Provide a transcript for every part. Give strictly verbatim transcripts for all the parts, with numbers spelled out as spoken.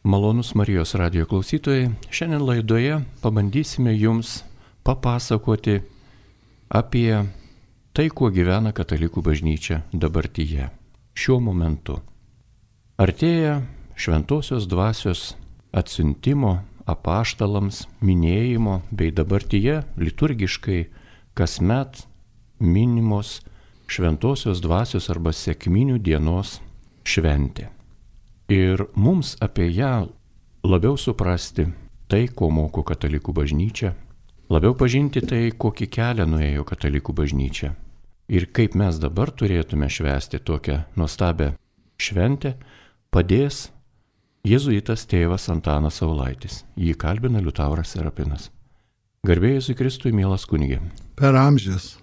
Malonus Marijos radijo klausytojai, šiandien laidoje pabandysime jums papasakoti apie tai, kuo gyvena katalikų bažnyčia dabartyje, šiuo momentu. Artėja šventosios dvasios atsiuntimo apaštalams minėjimo bei dabartyje liturgiškai kasmet minimos šventosios dvasios arba sekminių dienos šventė. Ir mums apie ją labiau suprasti tai, ko moko katalikų bažnyčia, labiau pažinti tai, kokį kelią nuėjo katalikų bažnyčia ir kaip mes dabar turėtume švęsti tokią nuostabią šventę, padės jėzuitas tėvas Antanas Saulaitis. Jį kalbina Liutauras Serapinas. Garbė Jėzui Kristui, mielas kunige. Per amžius.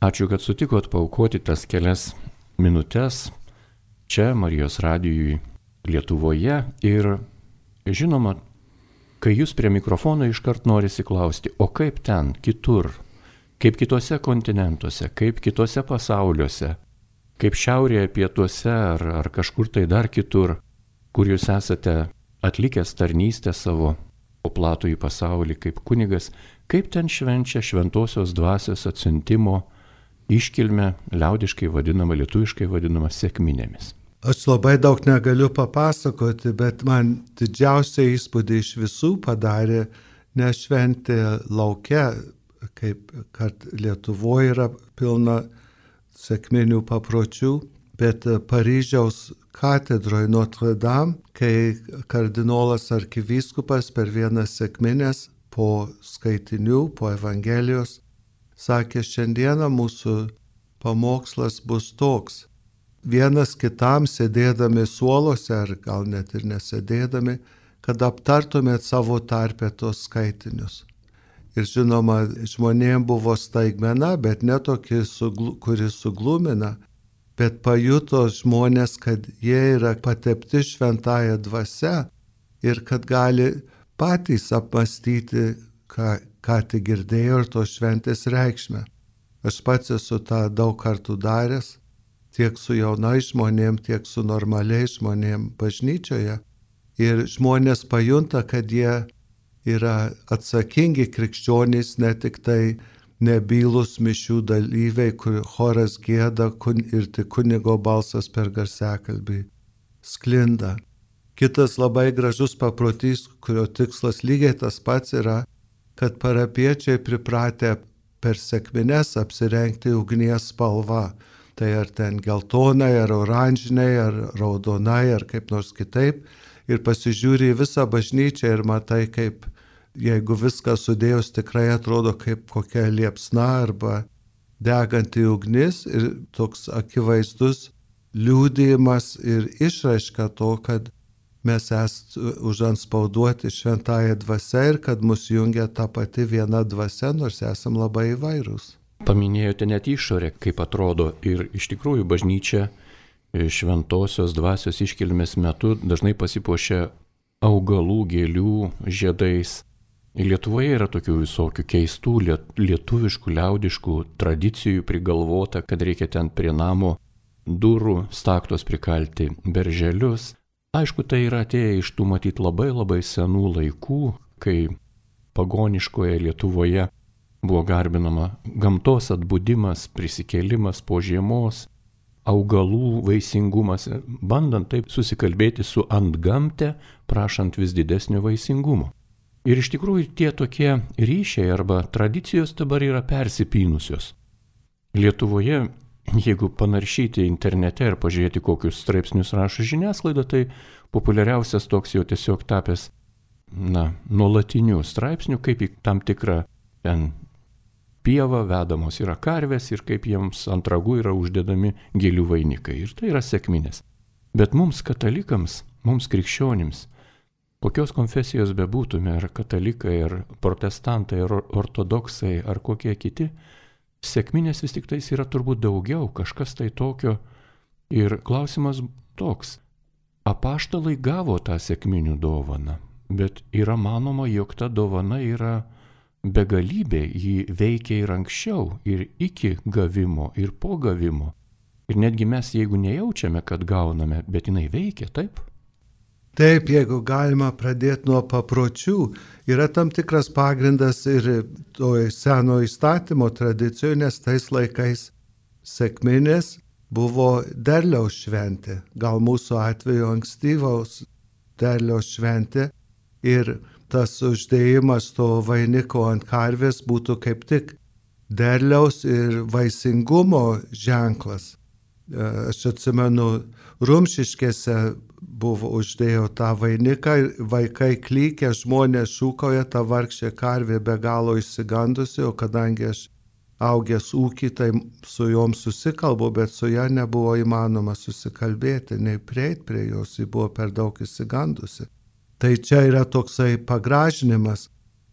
Ačiū, kad sutikot paaukoti tas kelias minutes čia Marijos radijui Lietuvoje ir žinoma, kai jūs prie mikrofono iškart norisi klausti, o kaip ten, kitur, kaip kitose kontinentuose, kaip kitose pasauliuose, kaip šiaurėje, pietuose ar, ar kažkur tai dar kitur, kur jūs esate atlikęs tarnystę savo po platųjį pasaulį kaip kunigas, kaip ten švenčia šventosios dvasios atsiuntimo iškilmę, liaudiškai vadinama, lietuviškai vadinama sekminėmis. Aš labai daug negaliu papasakoti, bet man didžiausią įspūdį iš visų padarė ne šventė lauke, kaip kad Lietuvoje yra pilna sekminių papročių, bet Paryžiaus katedroje Notre Dame, kai kardinolas arkivyskupas per vieną sekminės po skaitinių, po Evangelijos, sakė, šiandieną mūsų pamokslas bus toks. Vienas kitam sėdėdami suolose, ar gal net ir nesėdėdami, kad aptartumėt savo tarpę tos skaitinius. Ir žinoma, žmonėms buvo staigmena, bet ne tokia, kuri suglumina, bet pajuto žmonės, kad jie yra patepti šventąją dvasia ir kad gali patys apmastyti, ką, ką tik girdėjo ir tos šventės reikšmę. Aš pats esu tą daug kartų daręs, tiek su jaunai žmonėm, tiek su normaliai žmonėm bažnyčioje. Ir žmonės pajunta, kad jie yra atsakingi krikščionys, ne tik tai nebylus mišių dalyviai, kur choras gieda ir tik kunigo balsas per garsiakalbį sklinda. Kitas labai gražus paprotys, kurio tikslas lygiai tas pats yra, kad parapiečiai pripratę per sekmines apsirengti ugnies spalva. Tai ar ten geltonai, ar oranžiniai, ar raudonai, ar kaip nors kitaip. Ir pasižiūri į visą bažnyčią ir matai, kaip, jeigu viską sudėjus, tikrai atrodo kaip kokia liepsna arba deganti ugnis. Ir toks akivaizdus liudijimas ir išraiška to, kad mes esame užanspauduoti šventąją dvasią ir kad mus jungia ta pati viena dvasia, nors esame labai įvairūs. Paminėjote net išorę, kaip atrodo, ir iš tikrųjų bažnyčia šventosios dvasios iškilmės metu dažnai pasipuošia augalų, gėlių, žiedais. Lietuvoje yra tokių visokių keistų lietuviškų, liaudiškų tradicijų prigalvota, kad reikia ten prie namo durų staktos prikalti berželius. Aišku, tai yra atėję iš tų matyt labai labai senų laikų, kai pagoniškoje Lietuvoje buvo garbinama gamtos atbudimas, prisikėlimas po žiemos, augalų vaisingumas, bandant taip susikalbėti su antgamte, prašant vis didesnio vaisingumo. Ir iš tikrųjų tie tokie ryšiai arba tradicijos dabar yra persipynusios. Lietuvoje, jeigu panaršyti internete ir pažiūrėti, kokius straipsnius rašo žiniasklaida, tai populiariausias toks jau tiesiog tapęs, na, nuolatinių straipsnių, kaip į tam tikrą ten pieva vedamos yra karvės ir kaip jiems ant ragų yra uždedami gėlių vainikai. Ir tai yra sekminės. Bet mums katalikams, mums krikščionims, kokios konfesijos bebūtume, ar katalikai, ar protestantai, ar ortodoksai, ar kokie kiti, sekminės vis tik tais yra turbūt daugiau, kažkas tai tokio. Ir klausimas toks, apaštalai gavo tą sekminių dovaną, bet yra manoma, jog ta dovana yra begalybė, jį veikia ir anksčiau, ir iki gavimo, ir po gavimo. Ir netgi mes, jeigu nejaučiame, kad gauname, bet jinai veikia, taip? Taip, jeigu galima pradėti nuo papročių, yra tam tikras pagrindas ir toj seno įstatymo tradicijoje, nes tais laikais sekminės buvo derliaus šventė, gal mūsų atveju ankstyvaus derliaus šventė ir tas uždėjimas to vainiko ant karvės būtų kaip tik derliaus ir vaisingumo ženklas. Aš atsimenu, Rumšiškėse buvo uždėjo tą vainiką, vaikai klykia, žmonės šūkauja, ta vargšė karvė be galo išsigandusi, o kadangi aš augęs ūkį, tai su jom susikalbu, bet su ja nebuvo įmanoma susikalbėti, nei prieit prie jos, ji buvo per daug išsigandusi. Tai čia yra toksai pagražinimas,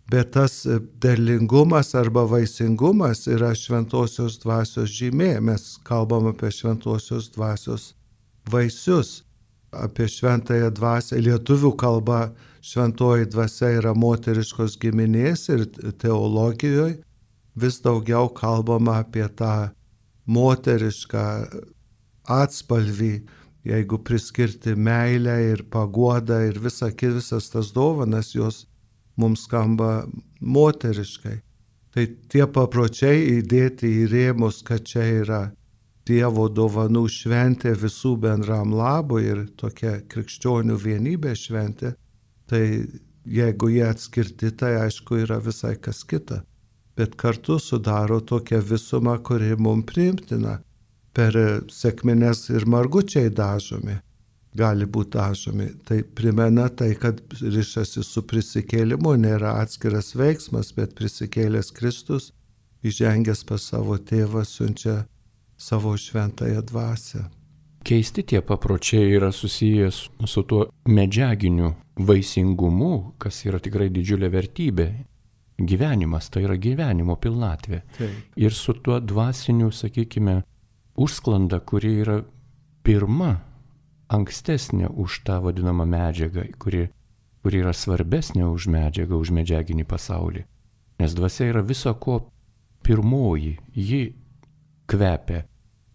bet tas derlingumas arba vaisingumas yra šventosios dvasios žymė. Mes kalbam apie šventosios dvasios vaisius, apie šventąją dvasią. Lietuvių kalba šventoji dvasia yra moteriškos giminės ir teologijoje vis daugiau kalbama apie tą moterišką atspalvį, jeigu priskirti meilę ir paguodą ir visa, visas tas dovanas, jos mums skamba moteriškai. Tai tie papročiai įdėti į rėmus, kad čia yra Dievo dovanų šventė visų bendram labui ir tokia krikščionių vienybė šventė, tai jeigu jie atskirti, tai aišku yra visai kas kita. Bet kartu sudaro tokią visumą, kuri mums priimtina. Per sekmines ir margučiai dažomi, gali būti dažomi. Tai primena tai, kad rišasi su prisikėlimu, nėra atskiras veiksmas, bet prisikėlęs Kristus, įžengęs pas savo tėvą, siunčia savo šventąją dvasią. Keisti tie papročiai yra susijęs su tuo medžiaginiu vaisingumu, kas yra tikrai didžiulė vertybė. Gyvenimas tai yra gyvenimo pilnatvė. Taip. Ir su tuo dvasiniu, sakykime, užsklanda, kuri yra pirma, ankstesnė už tą vadinamą medžiagą, kuri, kuri yra svarbesnė už medžiagą, už medžiaginį pasaulį. Nes dvasia yra viso ko pirmoji, ji kvepia,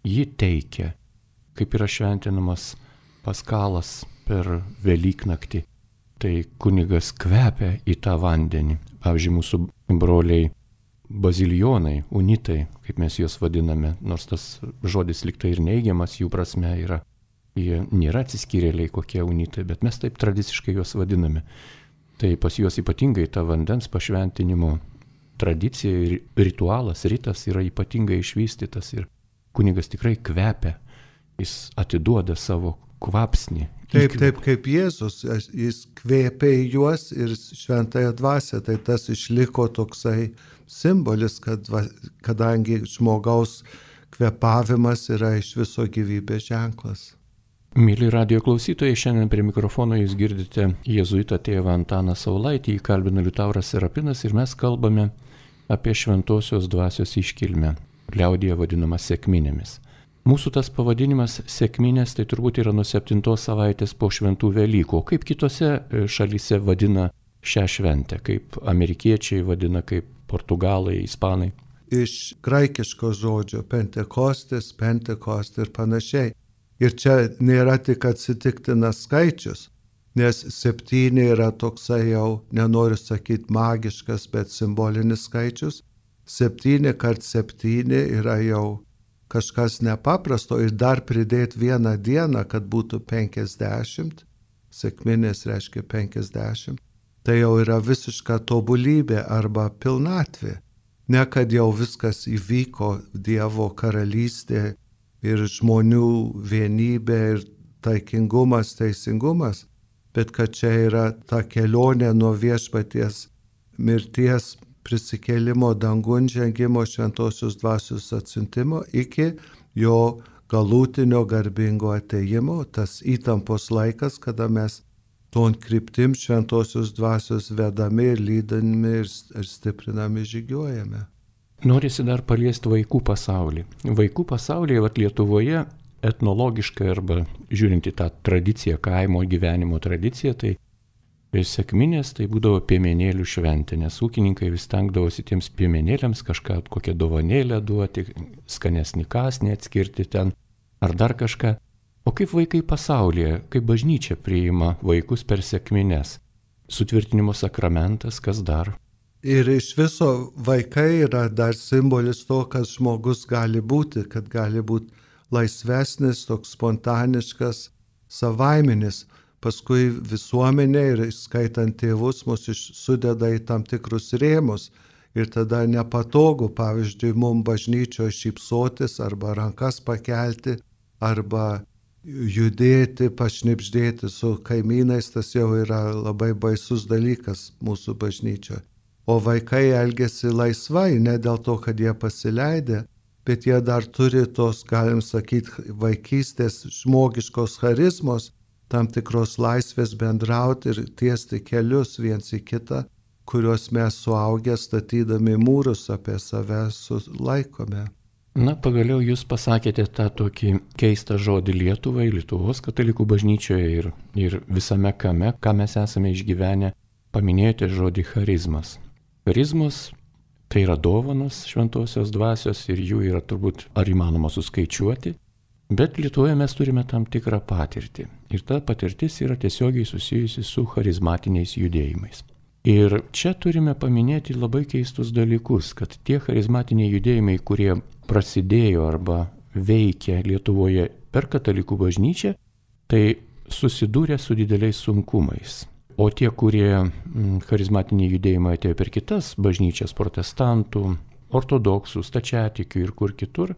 ji teikia, kaip yra šventinamas Paskalas per Velyknaktį. Tai kunigas kvepia į tą vandenį. Pavyzdžiui, mūsų broliai bazilijonai, unitai, kaip mes juos vadiname, nors tas žodis liktai ir neigiamas jų prasme yra. Jie nėra atsiskyrėliai kokie unitai, bet mes taip tradiciškai juos vadiname. Tai pas juos ypatingai ta vandens pašventinimo tradicija ir ritualas, ritas yra ypatingai išvystytas ir kunigas tikrai kvepia, jis atiduoda savo kvapsnį. Taip, taip kaip Jėzus, jis kvėpė į juos ir šventąją dvasią, tai tas išliko toksai simbolis, kad kadangi žmogaus kvėpavimas yra iš viso gyvybės ženklas. Mėly radijo klausytojai, šiandien prie mikrofono jūs girdite jėzuitą tėvą Antaną Saulaitį, jį kalbina Liutauras Serapinas ir mes kalbame apie šventosios dvasios iškilmę, liaudyje vadinamą sekminėmis. Mūsų tas pavadinimas sekminės tai turbūt yra nuo septintos savaitės po šventų Velykų, o kaip kitose šalyse vadina šią šventę, kaip amerikiečiai vadina, kaip portugalai, ispanai. Iš graikiško žodžio pentekostis, pentekost ir panašiai. Ir čia nėra tik atsitiktinas skaičius, nes septyni yra toksai jau, nenoriu sakyti magiškas, bet simbolinis skaičius. Septyni kart septyni yra jau kažkas nepaprasto ir dar pridėti vieną dieną, kad būtų penkiasdešimt, sekminės reiškia penkiasdešimt, tai jau yra visiška tobulybė arba pilnatvė. Ne kad jau viskas įvyko, Dievo karalystė ir žmonių vienybė ir taikingumas, teisingumas, bet kad čia yra ta kelionė nuo viešpaties mirties, prisikėlimo, dangun žengimo, šventosios dvasios atsiuntimo iki jo galutinio garbingo atėjimo, tas įtampos laikas, kada mes ton kryptim šventosios dvasios vedami ir lydami ir stiprinami žygiuojame. Norisi dar paliesti vaikų pasaulį. Vaikų pasaulyje, vat Lietuvoje, etnologiškai arba žiūrint į tą tradiciją, kaimo gyvenimo tradiciją, tai sekminės tai būdavo piemenėlių šventė, nes ūkininkai vis stengdavosi tiems piemenėliams kažką, kokią dovanėlę duoti, skanesnį kąsnį atskirti ten, ar dar kažką. O kaip vaikai pasaulyje, kaip bažnyčia priima vaikus per sekmines? Sutvirtinimo sakramentas, kas dar? Ir iš viso vaikai yra dar simbolis to, kas žmogus gali būti, kad gali būti laisvesnis, toks spontaniškas, savaiminis. Paskui visuomenė ir skaitant tėvus mus sudeda į tam tikrus rėmus. Ir tada nepatogu, pavyzdžiui, mums bažnyčioje šypsotis arba rankas pakelti, arba judėti, pašnipždėti su kaimynais, tas jau yra labai baisus dalykas mūsų bažnyčioje. O vaikai elgesi laisvai, ne dėl to, kad jie pasileidė, bet jie dar turi tos, galim sakyti, vaikystės žmogiškos charizmos, tam tikros laisvės bendrauti ir tiesti kelius viens į kitą, kuriuos mes suaugę statydami mūrus apie save sulaikome. Na, pagaliau jūs pasakėte tą tokį keistą žodį Lietuvai, Lietuvos katalikų bažnyčioje ir, ir visame kame, ką mes esame išgyvenę, paminėjote žodį charizmas. Charizmas tai yra dovanos šventosios dvasios ir jų yra turbūt ar įmanoma suskaičiuoti, bet Lietuvoje mes turime tam tikrą patirtį ir ta patirtis yra tiesiogiai susijusi su charizmatiniais judėjimais. Ir čia turime paminėti labai keistus dalykus, kad tie charizmatiniai judėjimai, kurie prasidėjo arba veikia Lietuvoje per katalikų bažnyčią, tai susidūrė su dideliais sunkumais. O tie, kurie charizmatiniai judėjimai atėjo per kitas bažnyčias, protestantų, ortodoksų, stačiatikių ir kur kitur,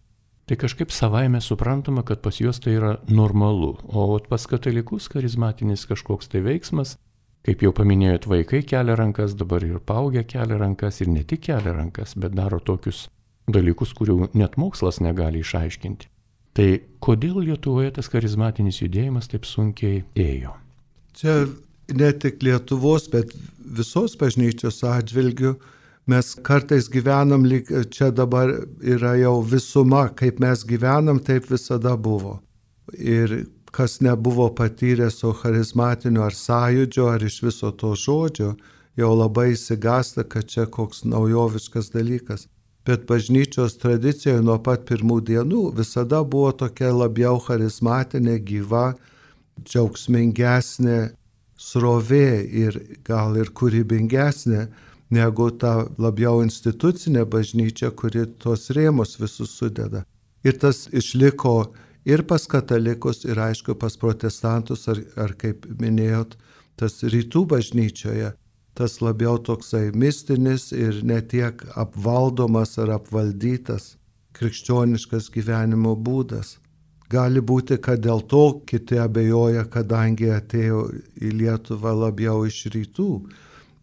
tai kažkaip savaime suprantama, kad pas juos tai yra normalu. O pas katalikus charizmatinis kažkoks tai veiksmas, kaip jau paminėjot, vaikai kelia rankas, dabar ir paaugę kelia rankas ir ne tik kelia rankas, bet daro tokius dalykus, kurių net mokslas negali išaiškinti. Tai kodėl Lietuvoje tas charizmatinis judėjimas taip sunkiai ėjo? Čia ne tik Lietuvos, bet visos bažnyčios atžvilgių mes kartais gyvenam, lyg čia dabar yra jau visuma, kaip mes gyvenam, taip visada buvo. Ir kas nebuvo patyręs to charizmatinio ar sąjūdžio, ar iš viso to žodžio, jau labai įsigasta, kad čia koks naujoviškas dalykas. Bet bažnyčios tradicijoje nuo pat pirmų dienų visada buvo tokia labiau charizmatinė, gyva, džiaugsmingesnė srovė ir gal ir kūrybingesnė negu ta labiau institucinė bažnyčia, kuri tos rėmus visus sudeda. Ir tas išliko ir pas katalikus, ir aišku pas protestantus, ar, ar kaip minėjot, tas rytų bažnyčioje, tas labiau toksai mistinis ir netiek apvaldomas ar apvaldytas krikščioniškas gyvenimo būdas. Gali būti, kad dėl to kiti abejoja, kadangi atėjo į Lietuvą labiau iš rytų,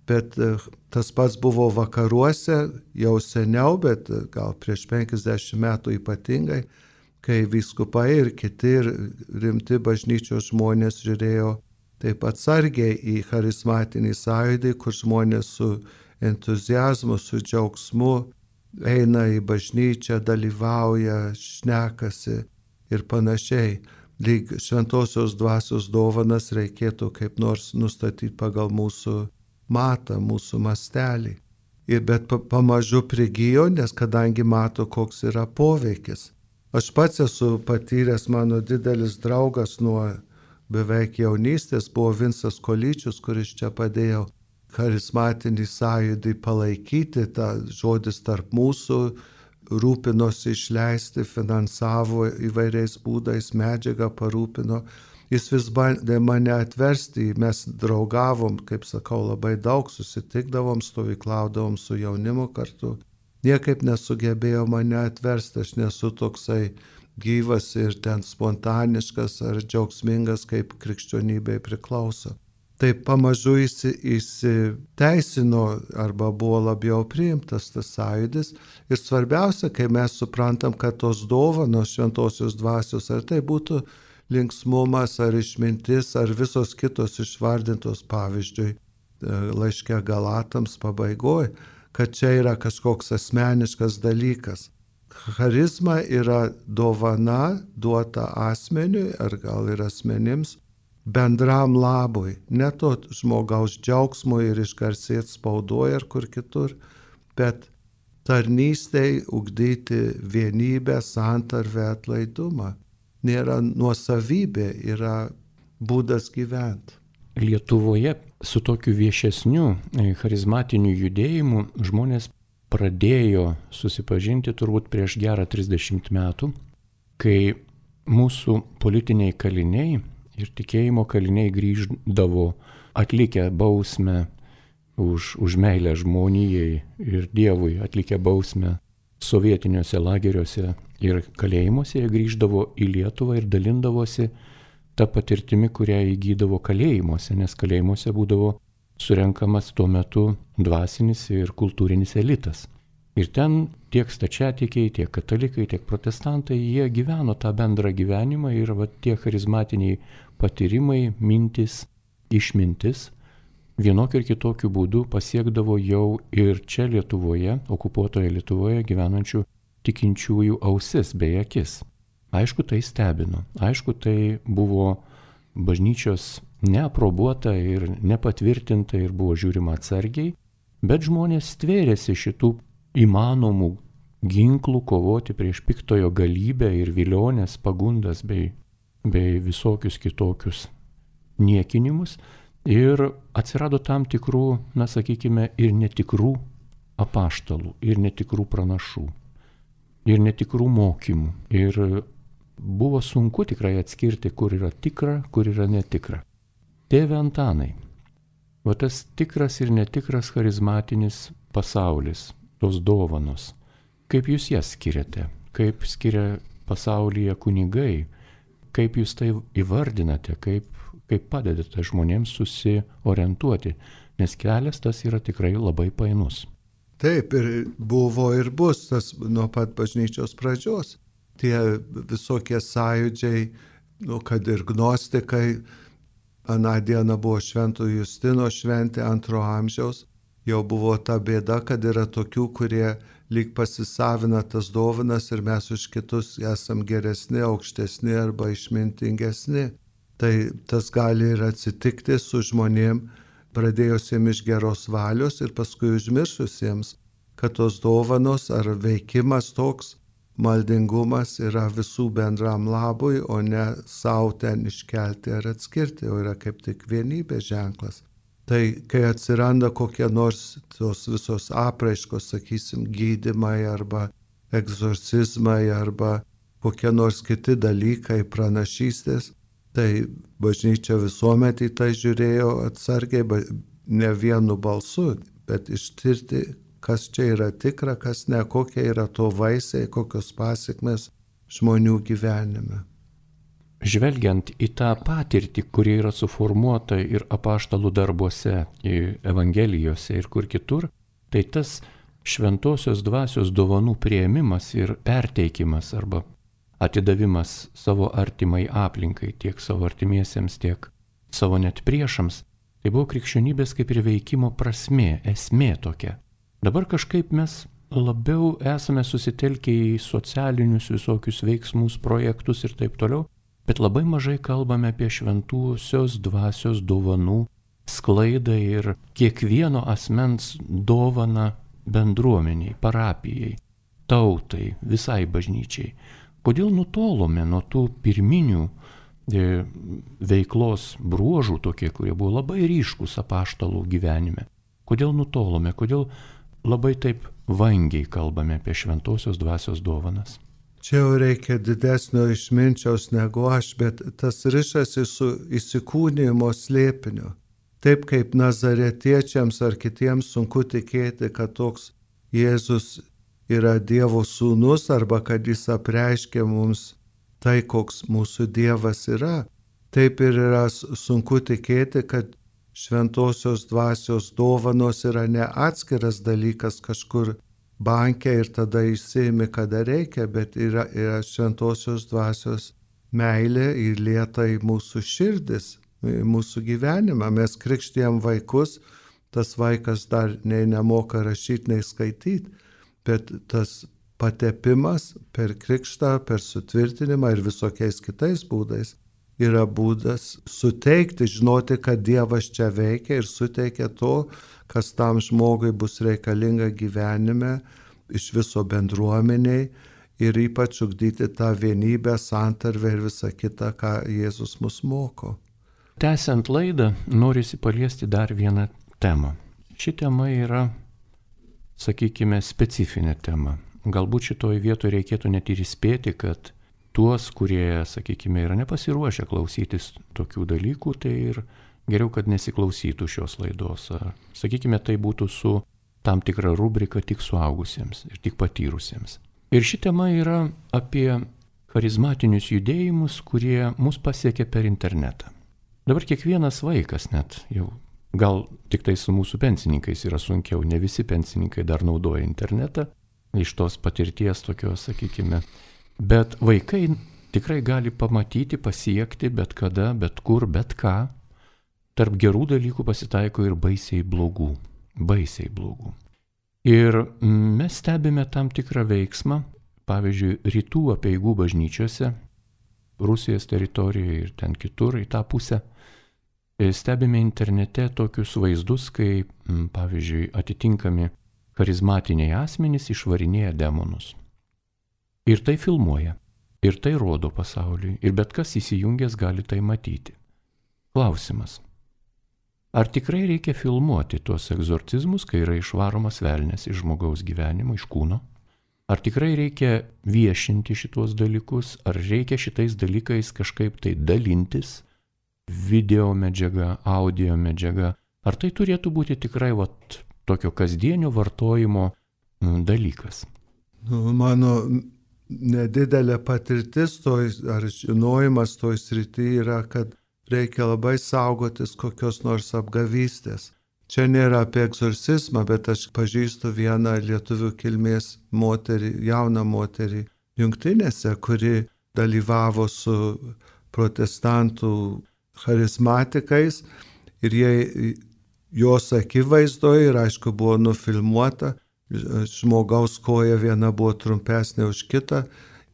bet tas pats buvo vakaruose jau seniau, bet gal prieš penkiasdešimt metų ypatingai, kai vyskupai ir kiti ir rimti bažnyčios žmonės žiūrėjo taip atsargiai į charizmatinį sąjūdį, kur žmonės su entuziazmu, su džiaugsmu eina į bažnyčią, dalyvauja, šnekasi ir panašiai. Lyg šventosios dvasios dovanas reikėtų kaip nors nustatyti pagal mūsų matą, mūsų mastelį. Ir bet pamažu prigijo, nes kadangi mato, koks yra poveikis. Aš pats esu patyręs, mano didelis draugas nuo beveik jaunystės buvo Vincas Kolyčius, kuris čia padėjo charizmatinį sąjūdį palaikyti, tą žodis tarp mūsų, rūpinosi išleisti, finansavo įvairiais būdais, medžiagą parūpino. Jis vis bandė mane atversti, mes draugavom, kaip sakau, labai daug, susitikdavom, stovyklaudavom su jaunimu kartu. Niekaip nesugebėjo mane atversti, aš nesu toksai gyvas ir ten spontaniškas ar džiaugsmingas, kaip krikščionybei priklauso. Tai pamažu įsiteisino arba buvo labiau priimtas tas sąjūdis. Ir svarbiausia, kai mes suprantam, kad tos dovanos šventosios dvasios, ar tai būtų linksmumas, ar išmintis, ar visos kitos išvardintos, pavyzdžiui, laiške Galatams pabaigoje, kad čia yra kažkoks asmeniškas dalykas. Charizma yra dovana duota asmeniui, ar gal ir asmenims, bendram labui, ne to žmogaus džiaugsmui ir išgarsėti spaudoje ar kur kitur, bet tarnystei ugdyti vienybę, santarvę, atlaidumą. nėra nuosavybė, yra būdas gyventi. Lietuvoje su tokiu viešesniu charizmatiniu judėjimu žmonės pradėjo susipažinti turbūt prieš gerą trisdešimt metų, kai mūsų politiniai kaliniai ir tikėjimo kaliniai grįždavo atlikę bausmę už, už meilę žmonijai ir Dievui, atlikę bausmę sovietiniuose lageriuose ir kalėjimuose, jie grįždavo į Lietuvą ir dalindavosi tą patirtimi, kurią įgydavo kalėjimuose, nes kalėjimuose būdavo surenkamas tuo metu dvasinis ir kultūrinis elitas. Ir ten tiek stačiatikiai, tiek katalikai, tiek protestantai, jie gyveno tą bendrą gyvenimą ir va, tie charizmatiniai patyrimai, mintis, išmintis vienokiu ir kitokiu būdu pasiekdavo jau ir čia Lietuvoje, okupuotoje Lietuvoje gyvenančių tikinčiųjų ausis bei akis. Aišku, tai stebino. Aišku, tai buvo bažnyčios neaprobuota ir nepatvirtinta ir buvo žiūrima atsargiai, bet žmonės stvėrėsi šitų įmanomų ginklų kovoti prieš piktojo galybę ir vilionės, pagundas bei, bei visokius kitokius niekinimus ir atsirado tam tikrų, na sakykime, ir netikrų apaštalų, ir netikrų pranašų, ir netikrų mokymų. Ir buvo sunku tikrai atskirti, kur yra tikra, kur yra netikra. Tėve Antanai, va tas tikras ir netikras charizmatinis pasaulis, tos dovanos, kaip jūs jas skiriate, kaip skiria pasaulyje kunigai, kaip jūs tai įvardinate, kaip, kaip padedate žmonėms susiorientuoti, nes kelias tas yra tikrai labai painus. Taip, ir buvo ir bus tas nuo pat bažnyčios pradžios. Tie visokie sąjūdžiai, nu, kad ir gnostikai, aną dieną buvo Švento Justino šventė antro amžiaus, jau buvo ta bėda, kad yra tokių, kurie lyg pasisavina tas dovanas ir mes už kitus esam geresni, aukštesni arba išmintingesni. Tai tas gali ir atsitikti su žmonėm, pradėjusiems iš geros valios ir paskui užmiršusiems, kad tos dovanos ar veikimas toks, maldingumas yra visų bendram labui, o ne savo ten iškelti ar atskirti, o yra kaip tik vienybės ženklas. Tai kai atsiranda kokie nors tos visos apraiškos, sakysim, gydymai arba egzorcizmai arba kokie nors kiti dalykai, pranašystės, tai bažnyčia visuomet į tai žiūrėjo atsargiai, ne vienu balsu, bet ištirti, kas čia yra tikra, kas ne, kokie yra to vaisiai, kokios pasiekmes žmonių gyvenime. Žvelgiant į tą patirtį, kuri yra suformuota ir apaštalų darbuose, evangelijose ir kur kitur, tai tas šventosios dvasios dovanų priėmimas ir perteikimas arba atidavimas savo artimai aplinkai, tiek savo artimiesiems, tiek savo net priešams, tai buvo krikščionybės kaip ir veikimo prasmė, esmė tokia. Dabar kažkaip mes labiau esame susitelkę į socialinius visokius veiksmus, projektus ir taip toliau, bet labai mažai kalbame apie šventosios dvasios dovanų sklaidą ir kiekvieno asmens dovaną bendruomeniai, parapijai, tautai, visai bažnyčiai. Kodėl nutolome nuo tų pirminių e, veiklos bruožų tokie, kurie buvo labai ryškus apaštalų gyvenime? Kodėl nutolome, kodėl labai taip vangiai kalbame apie šventosios dvasios dovanas? Čia jau reikia didesnio išminčiaus negu aš, bet tas rišasi su įsikūnijimo slėpiniu. Taip kaip nazaretiečiams ar kitiems sunku tikėti, kad toks Jėzus yra Dievo sūnus arba kad jis apreiškia mums tai, koks mūsų Dievas yra. Taip ir yra sunku tikėti, kad šventosios dvasios dovanos yra ne atskiras dalykas kažkur banke ir tada išsiimi, kada reikia, bet yra, yra šventosios dvasios meilė įlieta į mūsų širdis, į mūsų gyvenimą. Mes krikštijam vaikus, tas vaikas dar nei nemoka rašyti, nei skaityti, bet tas patepimas per krikštą, per sutvirtinimą ir visokiais kitais būdais yra būdas suteikti, žinoti, kad Dievas čia veikia ir suteikia to, kas tam žmogui bus reikalinga gyvenime, iš viso bendruomeniai ir ypač ugdyti tą vienybę, santarvę ir visą kitą, ką Jėzus mus moko. Tęsiant laidą, norisi paliesti dar vieną temą. Ši tema yra, sakykime, specifinė tema. Galbūt šitoje vietoje reikėtų net ir įspėti, kad tuos, kurie, sakykime, yra nepasiruošę klausytis tokių dalykų, tai ir geriau, kad nesiklausytų šios laidos. Ar, sakykime, tai būtų su tam tikra rubrika tik suaugusiems ir tik patyrusiems. Ir ši tema yra apie charizmatinius judėjimus, kurie mus pasiekia per internetą. Dabar kiekvienas vaikas net jau, gal tik tai su mūsų pensininkais yra sunkiau, ne visi pensininkai dar naudoja internetą, iš tos patirties tokios, sakykime, bet vaikai tikrai gali pamatyti, pasiekti bet kada, bet kur, bet ką. Tarp gerų dalykų pasitaiko ir baisiai blogų, baisiai blogų. Ir mes stebime tam tikrą veiksmą, pavyzdžiui, rytų apeigų bažnyčiose, Rusijos teritorijoje ir ten kitur į tą pusę. Stebime internete tokius vaizdus, kai, pavyzdžiui, atitinkami charizmatiniai asmenys išvarinėja demonus. Ir tai filmuoja, ir tai rodo pasauliui, ir bet kas įsijungęs gali tai matyti. Klausimas. Ar tikrai reikia filmuoti tuos egzorcizmus, kai yra išvaromas velnias iš žmogaus gyvenimo, iš kūno? Ar tikrai reikia viešinti šitos dalykus, ar reikia šitais dalykais kažkaip tai dalintis, video medžiaga, audio medžiaga, ar tai turėtų būti tikrai vat, tokio kasdienio vartojimo dalykas? Nu, mano nedidelė patirtis toj, ar žinojimas toj srity yra, kad reikia labai saugotis kokios nors apgavystės. Čia nėra apie egzorcizmą, bet aš pažįstu vieną lietuvių kilmės moterį, jauną moterį Jungtinėse, kuri dalyvavo su protestantų charizmatikais ir jie, jos akivaizdoje ir aišku buvo nufilmuota, žmogaus koja viena buvo trumpesnė už kitą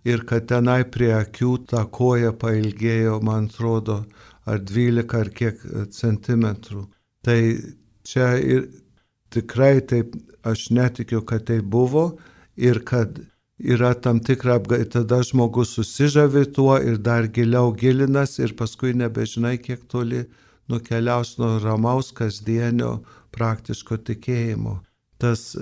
ir kad tenai prie akių ta koja pailgėjo, man atrodo, ar dvylika ar kiek centimetrų. Tai čia ir tikrai taip, aš netikiu, kad tai buvo ir kad yra tam tikra apgailė, tada žmogus susižavi tuo ir dar giliau gilinas ir paskui nebežinai, kiek toli nukeliaus nuo ramaus kasdienio praktiško tikėjimo. Tas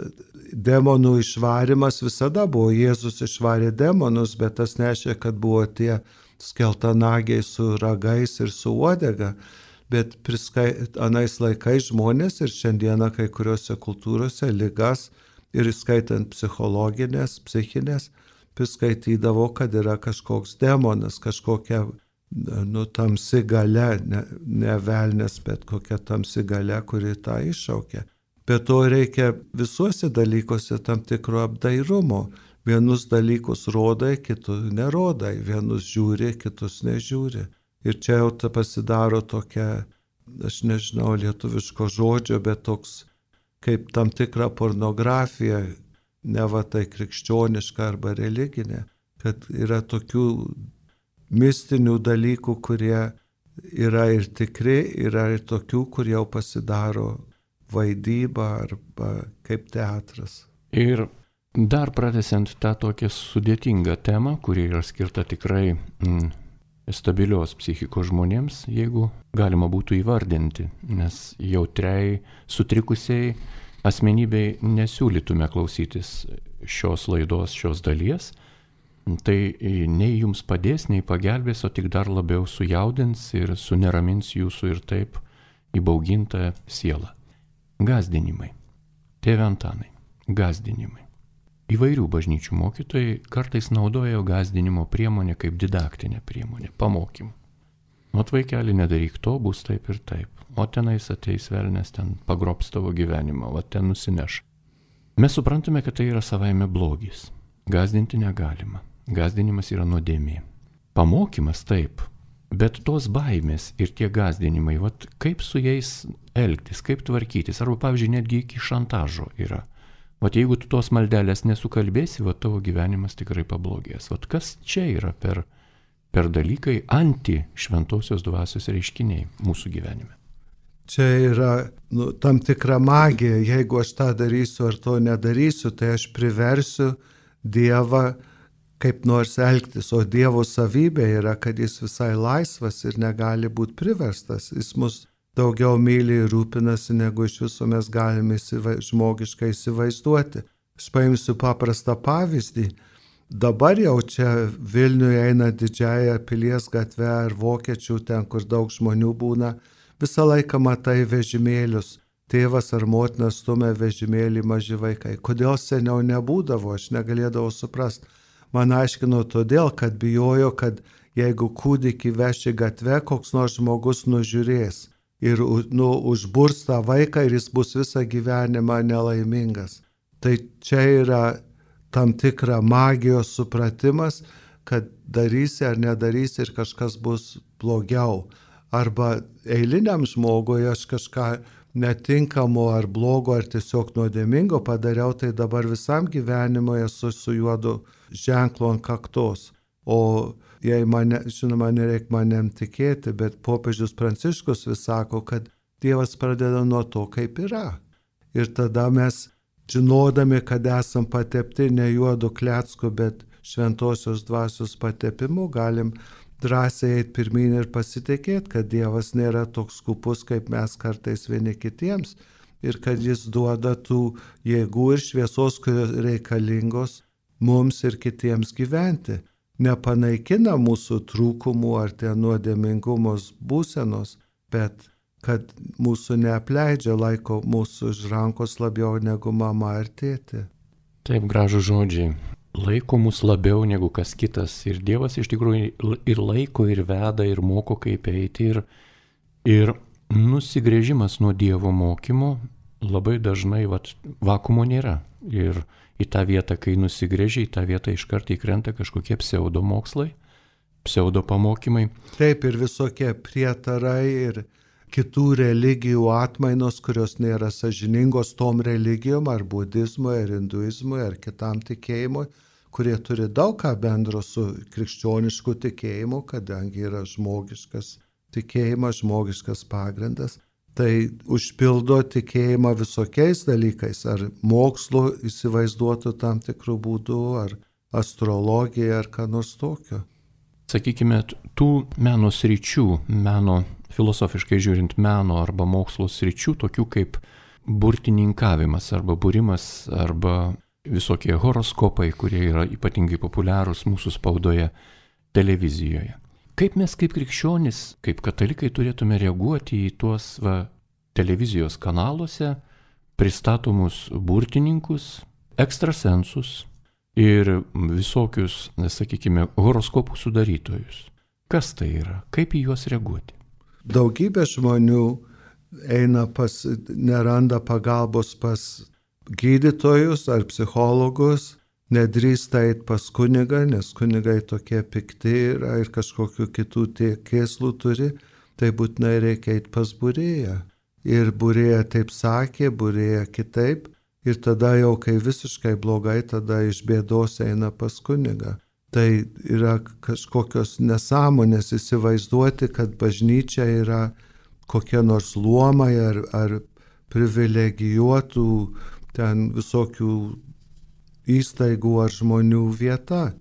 demonų išvarimas visada buvo, Jėzus išvarė demonus, bet tas nešė, kad buvo tie skeltanagiai su ragais ir su uodega. Bet priskai, anais laikais žmonės ir šiandieną kai kuriuose kultūrose ligas ir skaitant psichologinės, psichinės, priskaitydavo, kad yra kažkoks demonas, kažkokia nu, tamsi galia, ne, ne velnės, bet kokia tamsi galia, kuri tą iššaukia. Bet to reikia visuose dalykuose tam tikro apdairumo. Vienus dalykus rodai, kitus nerodai, vienus žiūri, kitus nežiūri. Ir čia jau ta pasidaro tokia, aš nežinau lietuviško žodžio, bet toks kaip tam tikra pornografija, ne va tai krikščioniška arba religinė, kad yra tokių mistinių dalykų, kurie yra ir tikri, yra ir tokių, kurie jau pasidaro vaidyba arba kaip teatras. Ir dar pratęsiant tą tokią sudėtingą temą, kuri yra skirta tikrai mm, stabilios psichikos žmonėms, jeigu galima būtų įvardinti, nes jautriai, sutrikusiai asmenybei nesiūlytume klausytis šios laidos, šios dalies, tai nei jums padės, nei pagelbės, o tik dar labiau sujaudins ir suneramins jūsų ir taip įbaugintą sielą. Gazdinimai. Tėve Antanai, gazdinimai. Įvairių bažnyčių mokytojai kartais naudojo gazdinimo priemonę kaip didaktinę priemonę, pamokymą. Ot vaikeli, nedaryk to, bus taip ir taip. O tenais ateis velnės, ten pagrobs tavo gyvenimą, o ten nusineš. Mes suprantame, kad tai yra savaime blogis. Gazdinti negalima. Gazdinimas yra nuodėmė. Pamokymas taip, bet tos baimės ir tie gazdinimai, vat, kaip su jais elgtis, kaip tvarkytis, arba pavyzdžiui, netgi iki šantažo yra. Vat jeigu tu tos maldelės nesukalbėsi, vat tavo gyvenimas tikrai pablogės. Vat kas čia yra per, per dalykai anti šventosios dvasios reiškiniai mūsų gyvenime? Čia yra nu, tam tikra magija. Jeigu aš tą darysiu ar to nedarysiu, tai aš priversiu Dievą kaip nors elgtis, o Dievo savybė yra, kad jis visai laisvas ir negali būti priverstas. Jis mus daugiau myli ir rūpinasi, negu iš viso mes galime įsiva, žmogiškai įsivaizduoti. Aš paimsiu paprastą pavyzdį. Dabar jau čia Vilniuje eina didžiąją Pilies gatvę ar Vokiečių, ten, kur daug žmonių būna, visą laiką matai vežimėlius. Tėvas ar motina stumia vežimėlį maži vaikai. Kodėl seniau nebūdavo, aš negalėdavau suprasti. Man aiškino todėl, kad bijojo, kad jeigu kūdikį veši gatvę, koks nors žmogus nužiūrės ir nu, užburs tą vaiką ir jis bus visą gyvenimą nelaimingas. Tai čia yra tam tikra magijos supratimas, kad darysi ar nedarysi ir kažkas bus blogiau. Arba eiliniam žmogui aš kažką netinkamo ar blogo ar tiesiog nuodėmingo padariau, tai dabar visam gyvenimui esu su juodu ženklu ant kaktos. O jei mane, žinoma, nereik manim tikėti, bet popiežius Pranciškus vis sako, kad Dievas pradeda nuo to, kaip yra. Ir tada mes, žinodami, kad esam patepti ne juodu klecku, bet šventosios dvasios patepimu, galim drąsiai eiti pirmyn ir pasitikėti, kad Dievas nėra toks skupus, kaip mes kartais vieni kitiems ir kad jis duoda tų jėgų ir šviesos, kurios reikalingos mums ir kitiems gyventi. Nepanaikina mūsų trūkumų ar ten nuodėmingumos būsenos, bet kad mūsų neapleidžia, laiko mūsų už rankos labiau negu mama ar tėtė. Taip, gražų žodžiai. Laiko mus labiau negu kas kitas. Ir Dievas iš tikrųjų ir laiko, ir veda, ir moko, kaip eiti. Ir, ir nusigrėžimas nuo Dievo mokymo labai dažnai vat, vakumo nėra. Ir į tą vietą, kai nusigrėžia, į tą vietą iškart įkrenta kažkokie pseudomokslai, pseudopamokymai. Taip, ir visokie prietarai ir kitų religijų atmainos, kurios nėra sąžiningos tom religijom, ar budizmui, ar hinduizmui, ar kitam tikėjimui, kurie turi daug ką bendro su krikščionišku tikėjimu, kadangi yra žmogiškas tikėjimas, žmogiškas pagrindas. Tai užpildo tikėjimą visokiais dalykais, ar mokslu įsivaizduotų tam tikrų būdų, ar astrologija, ar ką nors tokio. Sakykime, tų meno sričių, meno filosofiškai žiūrint meno arba mokslo sričių, tokių kaip burtininkavimas arba būrimas arba visokie horoskopai, kurie yra ypatingai populiarūs mūsų spaudoje, televizijoje. Kaip mes kaip krikščionys, kaip katalikai turėtume reaguoti į tuos va, televizijos kanaluose pristatomus burtininkus, ekstrasensus ir visokius, sakykime, horoskopų sudarytojus? Kas tai yra? Kaip į juos reaguoti? Daugybė žmonių eina pas, neranda pagalbos pas gydytojus ar psichologus, nedrįsta eiti pas kunigą, nes kunigai tokie pikti yra ir kažkokių kitų kėslų turi, tai būtinai reikia eiti pas būrėją. Ir būrėja taip sakė, būrėja kitaip, ir tada jau, kai visiškai blogai, tada iš bėdos eina pas kunigą. Tai yra kažkokios nesąmonės įsivaizduoti, kad bažnyčia yra kokie nors luomai ar, ar privilegijuotų ten visokių įstaigų ar žmonių vieta.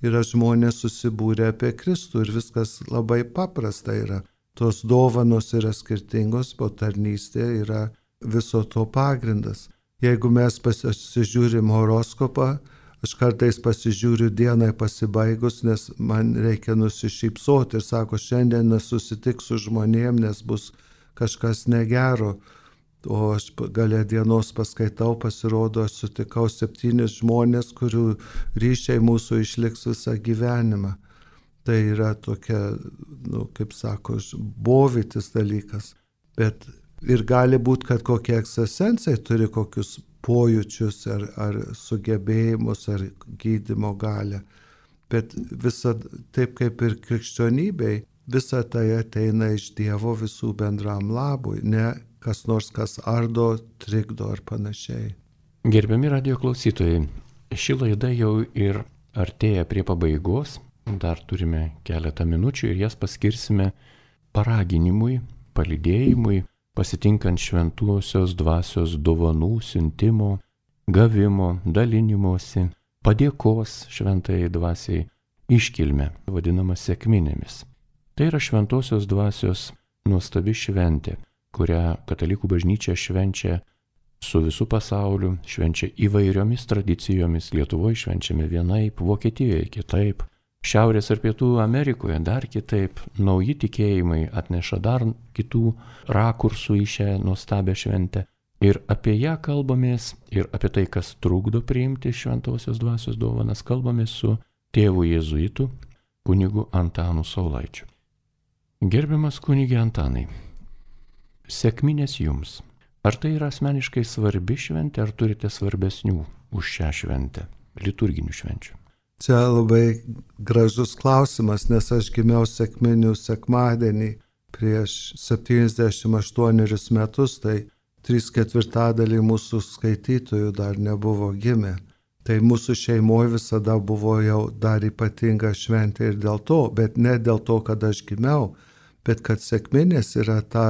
Yra žmonės susibūrę apie Kristų ir viskas labai paprasta yra. Tos dovanos yra skirtingos, o tarnystė yra viso to pagrindas. Jeigu mes pasižiūrim horoskopą, aš kartais pasižiūriu dienai pasibaigus, nes man reikia nusišypsoti ir sako, šiandien nesusitiks su žmonėm, nes bus kažkas negero. O aš gale dienos paskaitau, pasirodo, aš sutikau septynis žmonės, kurių ryšiai mūsų išliks visą gyvenimą. Tai yra tokia, nu, kaip sako, bovytis dalykas. Bet ir gali būti, kad kokie ekstrasensai turi kokius pojūčius ar, ar sugebėjimus ar gydymo galę. Bet visa, taip kaip ir krikščionybei, visa tai ateina iš Dievo visų bendram labui, ne kas nors, kas ardo, trikdo ar panašiai. Gerbiami radijo klausytojai, ši laida jau ir artėja prie pabaigos, dar turime keletą minučių ir jas paskirsime paraginimui, palydėjimui, pasitinkant šventuosios dvasios dovanų, siuntimo, gavimo, dalinimosi, padėkos šventajai dvasiai iškilmę, vadinamą sekminėmis. Tai yra šventosios dvasios nuostabi šventė, kurią katalikų bažnyčia švenčia su visų pasauliu, švenčia įvairiomis tradicijomis. Lietuvoje švenčiame vienaip, Vokietijoje kitaip, Šiaurės ir Pietų Amerikoje dar kitaip. Nauji tikėjimai atneša dar kitų rakursų į šią nuostabią šventę. Ir apie ją kalbamės, ir apie tai, kas trukdo priimti šventosios dvasios dovanas, kalbamės su tėvu jėzuitu, kunigu Antanu Saulaičiu. Gerbiamas kunige Antanai, sekminės jums. Ar tai yra asmeniškai svarbi šventė, ar turite svarbesnių už šią šventę, liturginių švenčių? Čia labai gražus klausimas, nes aš gimiau sekminių sekmadienį prieš septyniasdešimt aštuonerius metus, tai trys ketvirtadaliai mūsų skaitytojų dar nebuvo gimę. Tai mūsų šeimoje visada buvo jau dar ypatinga šventė ir dėl to, bet ne dėl to, kad aš gimiau, bet kad sekminės yra ta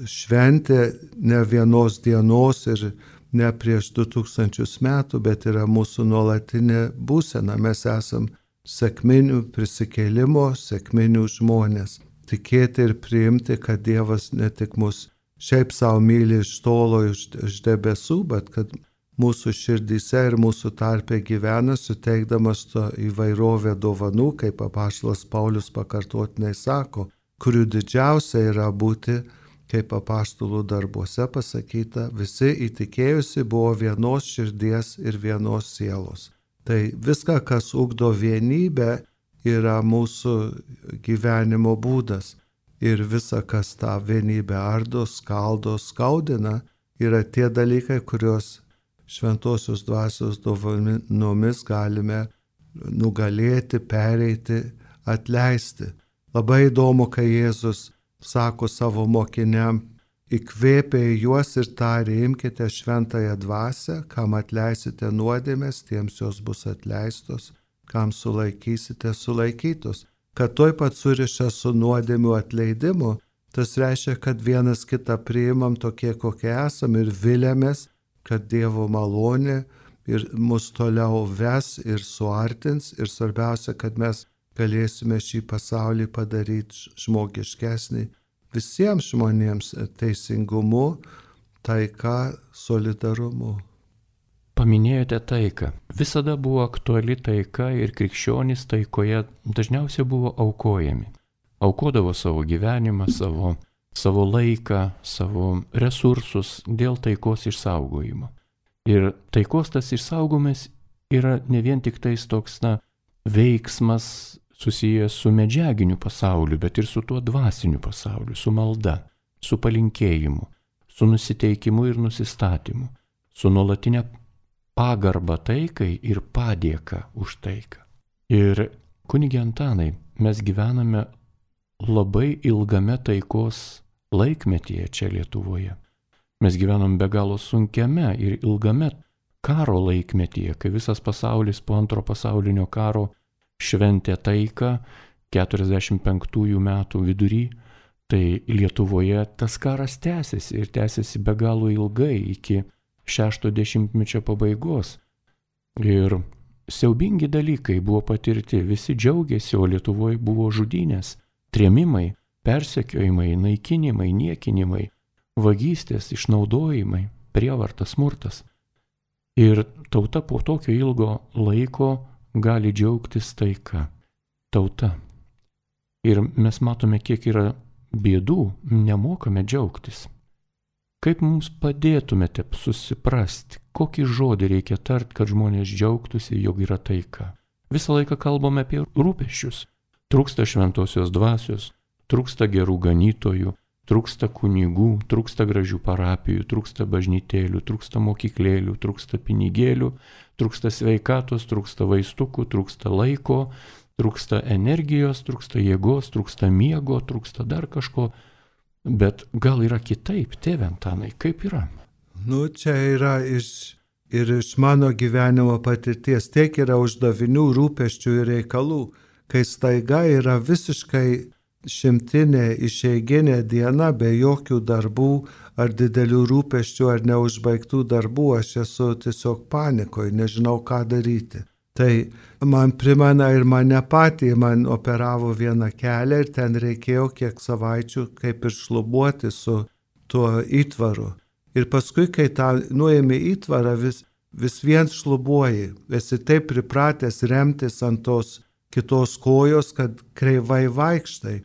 šventė ne vienos dienos ir ne prieš du tūkstančius metų, bet yra mūsų nuolatinė būsena. Mes esam sekminių prisikėlimo, sekminių žmonės. Tikėti ir priimti, kad Dievas ne tik mus šiaip savo myli iš tolo, iš, iš debesų, bet kad mūsų širdyse ir mūsų tarpe gyvena, suteikdamas to įvairovę dovanų, kaip apaštalas Paulius pakartotinai sako, kurių didžiausia yra būti, kaip apaštalų darbuose pasakyta, visi įtikėjusi buvo vienos širdies ir vienos sielos. Tai viską, kas ugdo vienybę, yra mūsų gyvenimo būdas. Ir visa, kas tą vienybę ardo, skaldo, skaudina, yra tie dalykai, kuriuos šventosios dvasios dovanomis galime nugalėti, pereiti, atleisti. Labai įdomu, kai Jėzus sako savo mokiniam, įkvėpė juos ir tarė, imkite šventąją dvasią, kam atleisite nuodėmės, tiems jos bus atleistos, kam sulaikysite, sulaikytos. Kad tuoj pat suriša su nuodėmių atleidimu, tas reiškia, kad vienas kitą priimam tokie, kokie esam ir vilėmės, kad Dievo malonė ir mus toliau ves ir suartins ir svarbiausia, kad mes galėsime šį pasaulį padaryti žmogiškesnį visiems žmonėms teisingumu, taika, solidarumu. Paminėjote taiką. Visada buvo aktuali taika ir krikščionys taikoje dažniausiai buvo aukojami. Aukodavo savo gyvenimą, savo, savo laiką, savo resursus dėl taikos išsaugojimo. Ir taikos tas išsaugojimas yra ne vien tik tais toks, na, veiksmas susijęs su medžiaginiu pasauliu, bet ir su tuo dvasiniu pasauliu, su malda, su palinkėjimu, su nusiteikimu ir nusistatymu, su nuolatinė pagarba taikai ir padėka už taiką. Ir kunige Antanai, mes gyvename labai ilgame taikos laikmetyje čia Lietuvoje. Mes gyvenam be galo sunkiame ir ilgame karo laikmetyje, kai visas pasaulis po antro pasaulinio karo šventė taiką keturiasdešimt penktųjų metų vidury, tai Lietuvoje tas karas tęsiasi ir tęsiasi be galo ilgai iki šešto dešimtmečio pabaigos. Ir siaubingi dalykai buvo patirti, visi džiaugiasi, o Lietuvoje buvo žudynės, trėmimai, persekiojimai, naikinimai, niekinimai, vagystės, išnaudojimai, prievartas, smurtas. Ir tauta po tokio ilgo laiko gali džiaugtis taika. Tauta. Ir mes matome, kiek yra bėdų, nemokame džiaugtis. Kaip mums padėtumėte susiprasti, kokį žodį reikia tart, kad žmonės džiaugtųsi, jog yra taika? Visą laiką kalbame apie rūpesčius. Trūksta šventosios dvasios, trūksta gerų ganytojų, trūksta kunigų, trūksta gražių parapijų, trūksta bažnytėlių, trūksta mokyklėlių, trūksta pinigėlių, trūksta sveikatos, trūksta vaistukų, trūksta laiko, trūksta energijos, trūksta jėgos, trūksta miego, trūksta dar kažko. Bet gal yra kitaip, tėve Antanai, kaip yra? Nu, čia yra iš, ir iš mano gyvenimo patirties, tiek yra uždavinių, rūpesčių ir reikalų, kai staiga yra visiškai šimtinė išeiginė diena be jokių darbų ar didelių rūpesčių ar neužbaigtų darbų, aš esu tiesiog panikoje, nežinau ką daryti. Tai man primena ir mane patį, man operavo vieną kelią ir ten reikėjo kiek savaičių kaip ir šlubuoti su tuo įtvaru. Ir paskui, kai tą nuėmė įtvarą, vis, vis vien šlubuoji. Esi taip pripratęs remtis ant tos kitos kojos, kad kreivai vaikštai.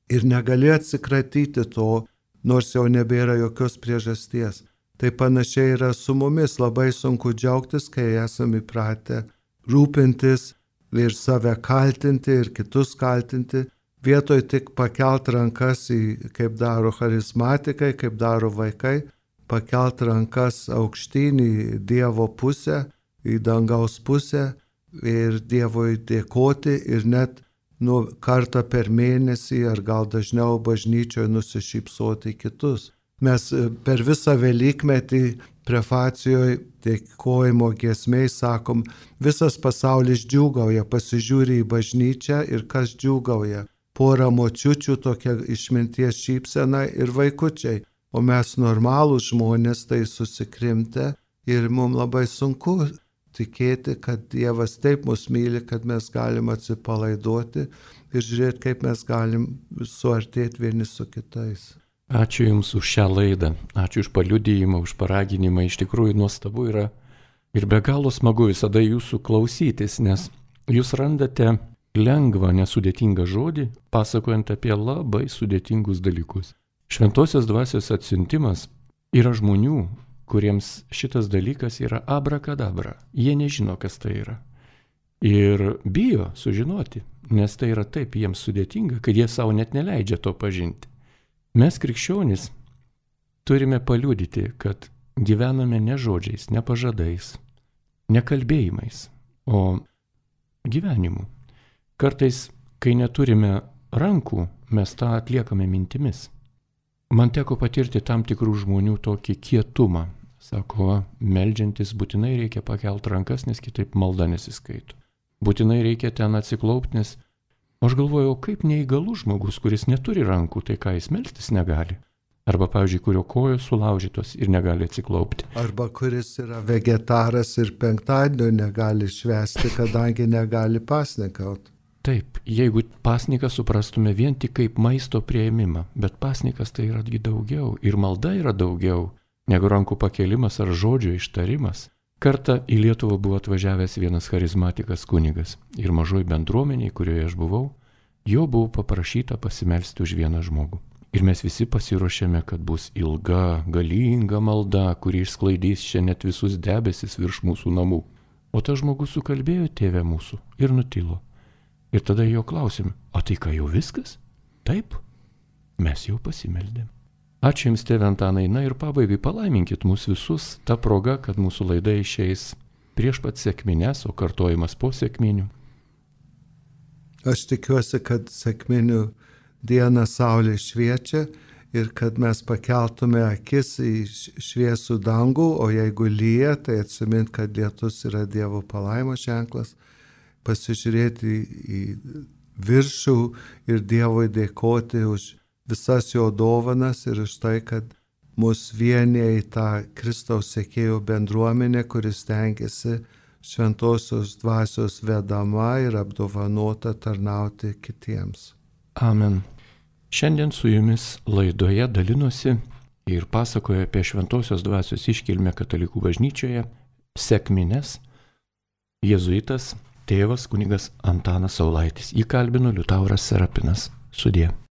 Ir negali atsikratyti to, nors jau nebėra jokios priežasties. Tai panašiai yra su mumis, labai sunku džiaugtis, kai esame įpratę rūpintis ir save kaltinti ir kitus kaltinti, vietoj tik pakelt rankas, į, kaip daro charizmatikai, kaip daro vaikai, pakelt rankas aukštyn į Dievo pusę, į dangaus pusę ir Dievui dėkoti ir net nu, kartą per mėnesį ar gal dažniau bažnyčioje nusišypsoti kitus. Mes per visą Velykmetį prefacijoje dėkojimo giesmėj sakom, visas pasaulis džiūgauja, pasižiūri į bažnyčią ir kas džiūgauja. Pora močiučių, tokia išminties šypsena ir vaikučiai, o mes normalūs žmonės tai susikrimtę ir mums labai sunku tikėti, kad Dievas taip mus myli, kad mes galim atsipalaiduoti ir žiūrėti, kaip mes galim suartėti vieni su kitais. Ačiū Jums už šią laidą, ačiū už paliudijimą, už paraginimą, iš tikrųjų nuostabu yra ir be galo smagu visada Jūsų klausytis, nes Jūs randate lengvą, nesudėtingą žodį, pasakojant apie labai sudėtingus dalykus. Šventosios dvasios atsiuntimas yra žmonių, kuriems šitas dalykas yra abrakadabra, jie nežino, kas tai yra. Ir bijo sužinoti, nes tai yra taip jiems sudėtinga, kad jie savo net neleidžia to pažinti. Mes krikščionys turime paliudyti, kad gyvename ne žodžiais, ne pažadais, ne kalbėjimais, o gyvenimu. Kartais, kai neturime rankų, mes tą atliekame mintimis. Man teko patirti tam tikrų žmonių tokį kietumą. Sako, meldžiantis būtinai reikia pakelti rankas, nes kitaip malda nesiskaito. Būtinai reikia ten atsiklaupti, nes aš galvojau, kaip neįgalus žmogus, kuris neturi rankų, tai ką jis melstis negali. Arba, pavyzdžiui, kurio kojos sulaužytos ir negali atsiklaupti. Arba kuris yra vegetaras ir penktadienio negali švęsti, kadangi negali pasnikauti. Taip, jeigu pasniką suprastume vien tik kaip maisto prieimimą, bet pasnikas tai yra daugiau ir malda yra daugiau negu rankų pakelimas ar žodžio ištarimas. Kartą į Lietuvą buvo atvažiavęs vienas charizmatikas kunigas ir mažoj bendruomeniai, kurioje aš buvau, jo buvo paprašyta pasimelsti už vieną žmogų. Ir mes visi pasiruošėme, kad bus ilga, galinga malda, kuri išsklaidys čia net visus debesis virš mūsų namų. O tas žmogus sukalbėjo tėvę mūsų ir nutilo. Ir tada jo klausėme, o tai ką jau viskas? Taip, mes jau pasimeldėm. Ačiū Jums, tėve Antanai, na ir pabaigai palaiminkit mus visus tą progą, kad mūsų laida išeis prieš pat sekmines, o kartojimas po sekminių. Aš tikiuosi, kad sekminių dieną saulė šviečia ir kad mes pakeltume akis į šviesų dangų, o jeigu lyja, tai atsimint, kad lietus yra Dievo palaimos ženklas, pasižiūrėti į viršų ir Dievui dėkoti už visas jo dovanas ir už tai, kad mus vienyje į tą Kristaus sekėjų bendruomenę, kuris tengiasi šventosios dvasios vedama ir apdovanota tarnauti kitiems. Amen. Šiandien su Jumis laidoje dalinosi ir pasakoja apie šventosios dvasios iškilmę katalikų bažnyčioje sekmines jėzuitas tėvas kunigas Antanas Saulaitis. Jį kalbino Liutauras Serapinas. Sudie.